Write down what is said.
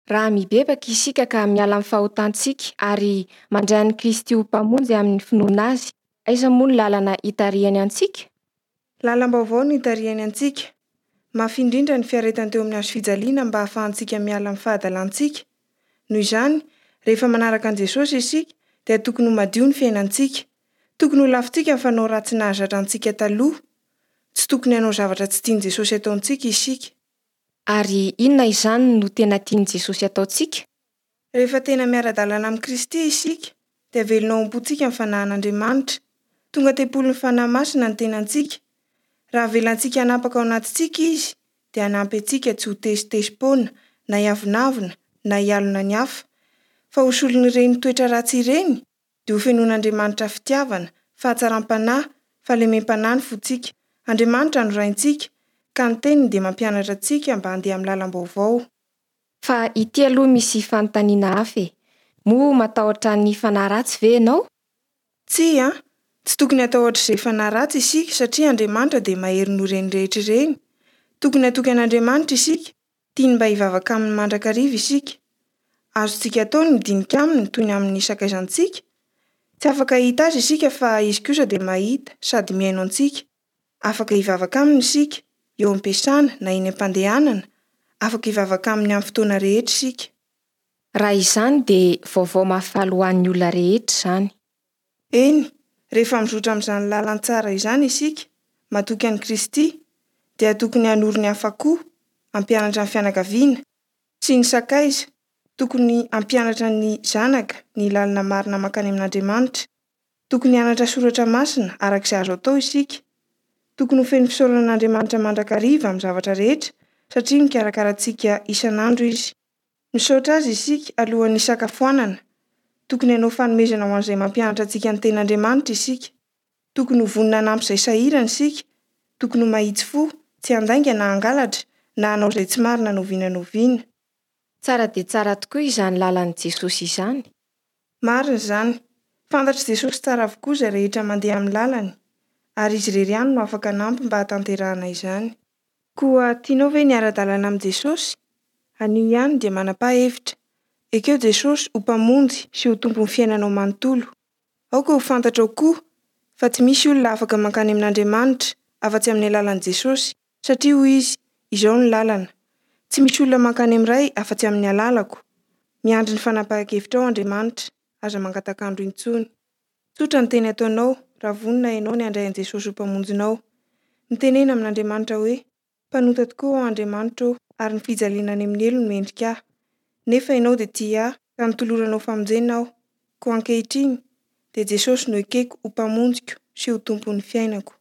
Raha mibebaka isika ka miala amin'ny fahotantsika ary mandray an'i Kristy ho Mpamonjy amin'ny finoana Azy, aiza moa ny lalana itarihany antsika? Lalam-baovao no itarihany antsika. Mafy indrindra ny fiaretany teo amin'ny hazofijaliana mba hahafahantsika miala amin'ny fahadalantsika. Noho izany, rehefa manaraka an'i Jesosy isika, dia tokony ho madio ny fiainantsika. Tokony ho lavintsika ny fanao ratsy nahazatra antsika taloha. Tsy tokony hanao zavatra tsy tian'i Jesosy ataontsika isika. Ary inona izany no tena tian'i Jesosy ataontsika? Rehefa tena miara-dalana amin'i Kristy isika, dia velona ao am-pontsika ny Fanahin'Andriamanitra. Tonga tempolin'ny Fanahy Masina ny tenantsika. Raha avelantsika hanapaka ao anatintsika Izy, dia hanampy antsika tsy ho tezitezi-poana, na hiavonavona, na hialona ny hafa. Fa ho solon'ireny toetra ratsy ireny, dia ho fenoin'Andriamanitra fitiavana, fahatsaram-panahy, fahalemem-panahy ny fontsika. Andriamanitra no Raintsika, ka ny Teniny dia mampianatra antsika mba handeha amin'ny lalam-baovao. Fa ity aloha misy fanontaniana hafa e! Moa matahotra ny fanahy ratsy ve ianao? Tsia, tsy tokony hatahotra izay fanahy ratsy isika satria Andriamanitra dia mahery noho ireny rehetra ireny. Tokony hatoky an'Andriamanitra isika, tiany mba hivavaka aminy mandrakariva isika. Azontsika atao ny midinika aminy toy ny amin'ny sakaizantsika. Tsy afaka hahita azy isika fa izy kosa dia mahita sady mihaino antsika. Afaka hivavaka aminy isika, eo am-piasana na eny am-pandehanana, afaka hivavaka aminy amin'ny fotoana rehetra isika. Raha izany dia vaovao mahafaly ho an'ny olona rehetra izany. Eny, rehefa mizotra amin'izany lalantsara izany isika, matoky an'i Kristy, dia tokony hanoro ny hafa koa, hampianatra ny fianakaviana, sy ny sakaiza, tokony hampianatra ny zanaka ny lalana marina mankany amin'Andriamanitra. Tokony hianatra soratra masina araka izay azo atao isika. Tokony ho feno fisaorana an'Andriamanitra mandrakariva amin'ny zavatra rehetra satria mikarakara antsika isan'andro Izy. Misaotra Azy isika alohan'ny hisakafoanana. Tokony hanao fanomezana ho an'izay mampianatra antsika ny Tenin'Andriamanitra isika. Tokony ho vonona hanampy izay sahirana isika. Tokony ho mahitsy fo, tsy handainga na hangalatra, na hanao izay tsy marina na oviana na oviana. Tsara dia tsara tokoa izany lalan'i Jesosy izany. Marina izany. Fantatr'i Jesosy tsara avokoa izay rehetra mandeha amin'ny lalany, ary Izy irery ihany no afaka hanampy mba hahatanterahana izany. Koa tianao ve ny hiara-dalana amin'i Jesosy? Anio ihany dia manapaha hevitra. Ekeo Jesosy ho Mpamonjy sy ho Tompon'ny fiainanao manontolo. Aoka ho fantatrao koa fa tsy misy olona afaka mankany amin'Andriamanitra afa-tsy amin'ny alalan'i Jesosy, satria hoy Izy, Izao no lalana. Tsy misy olona mankany amin'ny Ray afa-tsy amin'ny alalako. Miandry ny fanapahan-kevitrao Andriamanitra, aza mangatak'andro intsony. Tsotra ny teny ataonao raha vonona ianao ny handray an'i Jesosy ho Mpamonjinao. Mitenena amin'Andriamanitra hoe, Mpanota tokoa aho Andriamanitra ô, ary ny fijaliana any amin'ny helo no mendrika ahy. Nefa Ianao dia tia ahy, ka notoloranao famonjena aho. Koa ankehitriny, dia Jesosy no ekeko ho Mpamonjiko sy ho Tompon'ny fiainako.